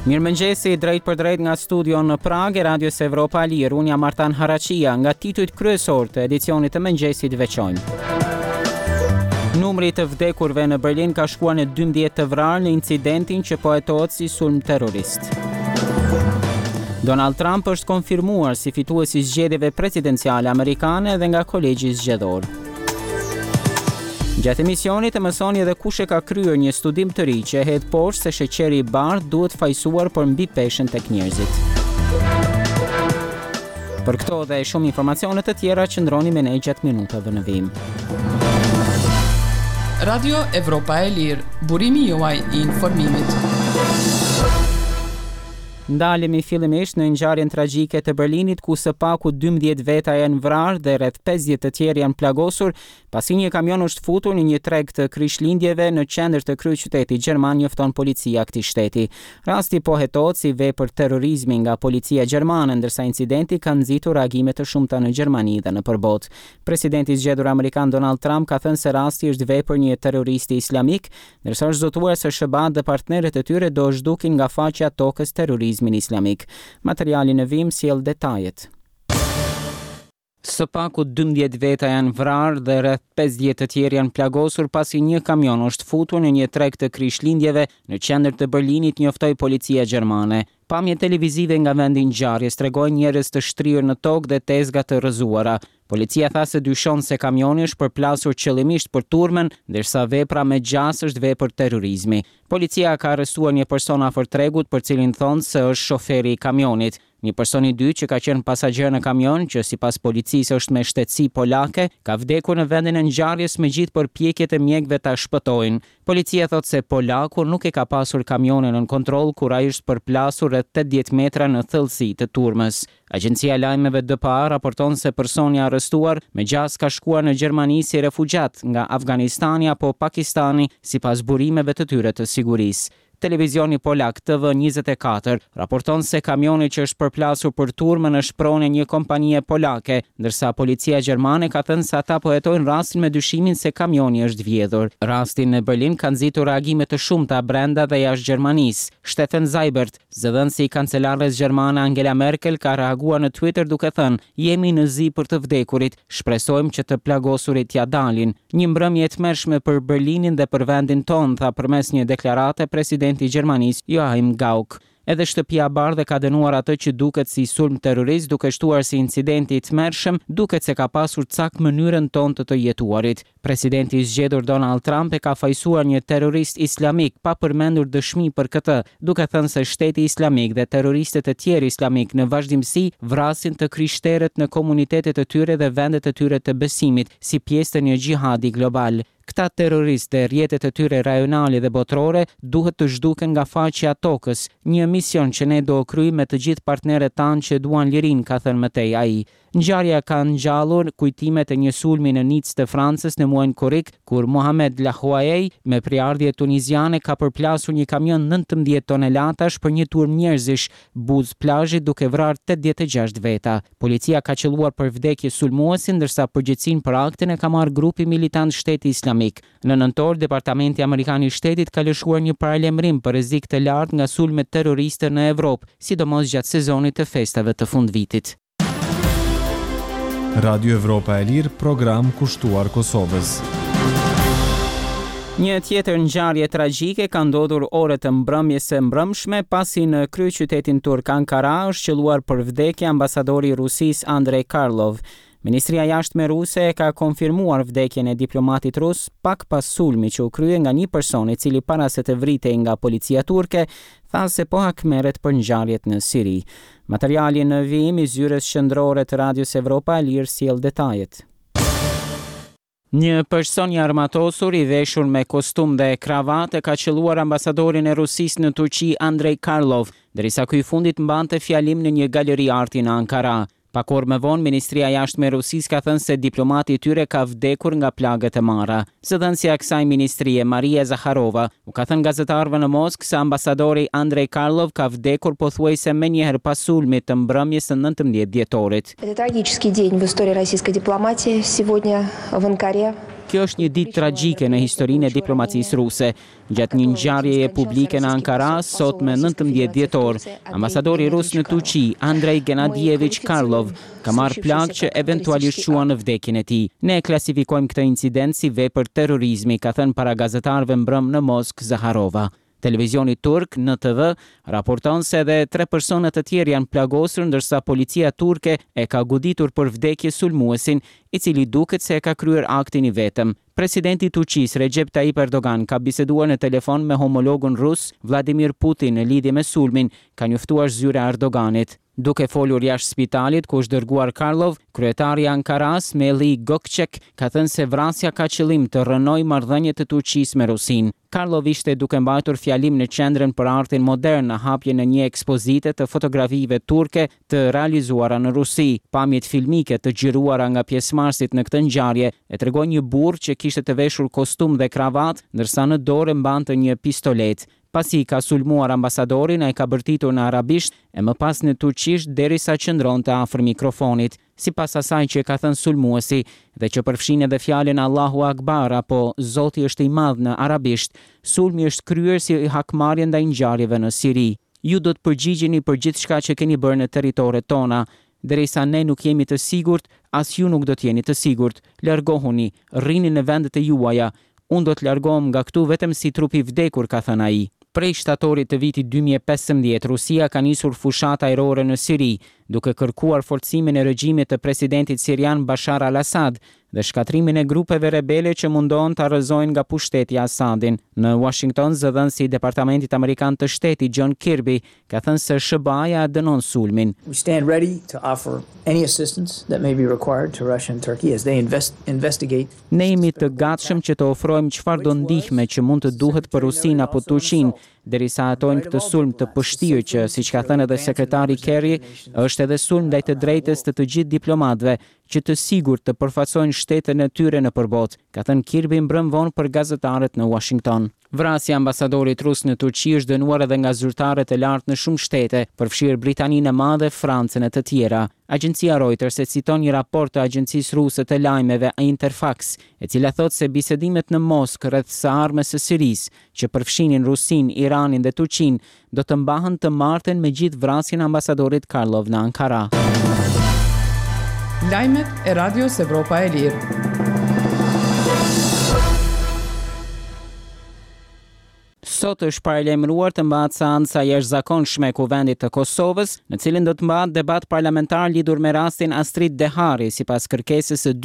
Mirëmëngjesi, drejtpërdrejt nga studio në Pragë e Radios Evropa e Lirë, unë jam Artan Haraqia, nga titujt kryesorë të edicionit të mëngjesit veçojmë. Numri i të vdekurve në Berlin ka shkuar në 12 të vrarë në incidentin që po hetohet si sulm terrorist. Donald Trump është konfirmuar si fitues i zgjedhjeve presidenciale amerikane edhe nga kolegji zgjedhor. Gjatë emisionit e mësoni edhe kush e ka kryer një studim të ri që e hedh poshtë se sheqeri i bardhë duhet fajësuar për mbipeshën tek njerëzit. Për këto dhe shumë informacione të tjera qëndroni me ne gjatë minutave në vijim. Radio Evropa e Lirë, burimi juaj i informimit. Ndalemi fillimisht në ngjarjen tragjike të Berlinit ku së paku 12 veta janë vrarë dhe rreth 50 të tjerë janë plagosur pasi një kamion është futur në një treg të Krishtlindjeve në qendër të kryeqytetit gjerman, njofton policia e këtij shteti. Rasti po hetohet si vepër terrorizmi nga policia gjermane, ndërsa incidenti ka nxitur reagime të shumta në Gjermani dhe nëpër botë. Presidenti i zgjedhur amerikan Donald Trump ka thënë se rasti është vepër një terroristi islamik, ndërsa është zotuar se SHBA-të dhe partnerët e tyre do zhdukin nga faqja e tokës terrorizmin islamik. Materiali në vijim sjell detajet. Së paku 12 veta janë vrarë dhe rreth 50 të tjerë janë plagosur pasi një kamion është futur në një treg të Krishtlindjeve në qendër të Berlinit, njoftoi policia gjermane. Pamjet televizive nga vendi i ngjarjes tregojnë njerëz të shtrirë në tokë dhe tezga të rrëzuara. Policia tha se dyshon se kamioni është përplasur qëllimisht për turmën, ndërsa vepra me gjasë është vepër terrorizmi. Policia ka arrestuar një person afër tregut për cilin thonë se është shoferi i kamionit. Një person i dytë që ka qenë pasagjer në kamion, që sipas policisë është me shtetësi polake, ka vdekur në vendin e ngjarjes megjithë përpjekjet e mjekëve ta shpëtojnë. Policia thotë se polaku nuk e ka pasur kamionin nën kontroll kur ai është përplasur rreth 80 metra në thellësi të turmës. Agjencia e lajmeve DPA raporton se personi i arrestuar me gjasë ka shkuar në Gjermani si refugjat nga Afganistani apo Pakistani, sipas burimeve të tyre të sigurisë. Televizioni polak TV 24 raporton se kamioni që është përplasur për turmën është pronë e një kompanie polake, ndërsa policia gjermane ka thënë se ata po hetojnë rastin me dyshimin se kamioni është vjedhur. Rasti në Berlin ka nxitur reagime të shumta brenda dhe jashtë Gjermanisë. Steffen Seibert, zëdhënësi i kancelares gjermane Angela Merkel ka reaguar në Twitter duke thënë: "Jemi në zi për të vdekurit, shpresojmë që të plagosurit t'ia dalin." Një mbrëmje e tmerrshme për Berlinin dhe për vendin tonë, tha përmes një deklarate presidenti i Gjermanisë, Joachim Gauck. Edhe Shtëpia e Bardhë e ka dënuar atë që duket si sulm terrorist, duke shtuar se incidenti i tmerrshëm duket se ka pasur cak mënyrën tonë të të jetuarit. Presidenti i zgjedhur Donald Trump e ka fajësuar një terrorist islamik pa përmendur dëshmi për këtë, duke thënë se Shteti Islamik dhe terroristët e tjerë islamikë në vazhdimësi vrasin të krishterët në komunitetet e tyre dhe vendet e tyre të besimit si pjesë të një xhihadi global. Këta terroristë dhe rrjetet e tyre rajonale dhe botërore duhet të zhduken nga faqja e tokës, një mision që ne do kryejmë me të gjithë partnerët tanë që duan lirinë, ka thënë më tej ai. Ngjarja ka ngjallur kujtimet e një sulmi në Nicë të Francës në muajin korrik, kur Mohamed Lahouaiej, me prejardhje tuniziane, ka përplasur një kamion 19 tonelatash për një turmë njerëzish buzë plazhit duke vrarë 86 veta. Policia ka qëlluar për vdekje sulmuesin, ndërsa përgjegjësinë për aktin e ka marrë grupi militant Shteti Islamik. Në nëntor, Departamenti Amerikan i Shtetit ka lëshuar një paralajmërim për rrezik të lartë nga sulmet terroriste në Evropë, sidomos gjatë sezonit të festave të fundvitit. Radio Evropa e Lirë, program kushtuar Kosovës. Një tjetër ngjarje tragjike ka ndodhur orët e mbrëmjes së mbrëmshme, pasi në kryeqytetin turk Ankara është qëlluar për vdekje ambasadori i Rusisë Andrei Karlov. Ministria e Jashtme ruse e ka konfirmuar vdekjen e diplomatit rus pak pas sulmit që u krye nga një person i cili para se të vritej nga policia turke, tha se po hakmerret për ngjarjet në Siri. Materiali në vijim i zyrës qendrore të Radios Evropa e Lirë sjell detajet. Një person i armatosur i veshur me kostum dhe kravatë ka qëlluar ambasadorin e Rusisë në Turqi Andrei Karlov, derisa ky i fundit mbante fjalim në një galeri arti në Ankara. Pak orë më vonë, Ministria e Jashtme e Rusisë ka thënë se diplomati i tyre ka vdekur nga plagët e marra. Zëdhënësja e kësaj ministrie, Maria Zakharova, u ka thënë gazetarëve në Moskë se ambasadori Andrei Karlov ka vdekur pothuajse menjëherë pas sulmit të mbrëmjes së 19 dhjetorit. Это трагический день в истории российской дипломатии. Сегодня в Анкаре. Kjo është një ditë tragjike në historinë e diplomacisë ruse. Gjatë një ngjarjeje publike në Ankara, sot me 19 dhjetor, ambasadori rus në Turqi, Andrei Gennadievich Karlov, ka marrë plagë që eventualisht çuan në vdekjen e tij. Ne e klasifikojmë këtë incident si vepër terrorizmi, ka thënë para gazetarëve mbrëmë në Moskë Zaharova. Televizioni turk, NTV, raporton se edhe tre persona të tjerë janë plagosur ndërsa policia turke e ka goditur për vdekje sulmuesin, i cili duket se e ka kryer aktin i vetëm. Presidenti i Turqisë, Rexhep Taip Erdogan ka biseduar në telefon me homologun rus, Vladimir Putin në lidhje me sulmin, ka njoftuar zyra e Erdoganit. Duke folur jashtë spitalit ku është dërguar Karlov, kryetari i Ankarasë, Melih Gökçek, ka thënë se vrasja ka qëllim të rrënojë marrëdhëniet e Turqisë me Rusinë. Karlov ishte duke mbajtur fjalim në Qendrën për Artin Modern në hapjen e një ekspozite të fotografive turke të realizuara në Rusi. Pamjet filmike të xhiruara nga pjesëmarrësit në këtë ngjarje e tregojnë një burrë që kishte të veshur kostum dhe kravatë, ndërsa në dorë mbante një pistoletë. Pasi ka sulmuar ambasadorin, ai ka bërtitur në arabisht e më pas në turqisht derisa qëndronte afër mikrofonit. Sipas asaj që ka thënë sulmuesi dhe që përfshin edhe fjalën Allahu Akbar apo Zoti është i madh në arabisht, sulmi është kryer si hakmarrje ndaj ngjarjeve në Siri. Ju do të përgjigjeni për gjithçka që keni bërë në territoret tona. Derisa ne nuk jemi të sigurt, as ju nuk do të jeni të sigurt. Largohuni, rrini në vendet e juaja. Unë do të largohem nga këtu vetëm si trup i vdekur, ka thënë ai. Prej shtatorit të vitit 2015, Rusia ka nisur fushatë ajrore në Siri, duke kërkuar forcimin e regjimit të presidentit sirian Bashar al-Assad dhe shkatërrimin e grupeve rebele që mundohen ta rrëzojnë nga pushteti Assadin. Në Washington, zëdhënësi i Departamentit Amerikan të Shtetit, John Kirby, ka thënë se SHBA-ja e dënon sulmin. We stand ready to offer any assistance that may be required to Russia and Turkey as they invest, investigate Ne jemi të gatshëm që të ofrojmë çfarëdo ndihme që mund të duhet për Rusinë apo Turqinë, derisa hetojnë këtë sulm të pështirë që, siç ka thënë edhe sekretari Kerry, është edhe sulm ndaj të drejtës të të gjithë diplomatëve që të sigurt të përfaqësojnë shtetin e tyre nëpër botë, ka thënë Kirby mbrëm vonë për gazetarët në Washington. Vrasja e ambasadorit rus në Turqi është dënuar edhe nga zyrtarët e lartë në shumë shtete, përfshirë Britaninë e Madhe, Francën e të tjera. Agjencia Reuters e citon një raport të agjencisë ruse të lajmeve Interfax, e cila thotë se bisedimet në Moskë rreth së ardhmes së Sirisë, që përfshinin Rusinë, Iranin dhe Turqinë, do të mbahen të martën me gjithë vrasjen e ambasadorit Karlov në Ankara. Lajmet e Radios Evropa e Lirë. Sot është paralajmëruar të mbahet seanca e jashtëzakonshme e Kuvendit të Kosovës, në cilën do të mbahet debat parlamentar lidhur me rastin Astrit Dehari, sipas kërkesës së.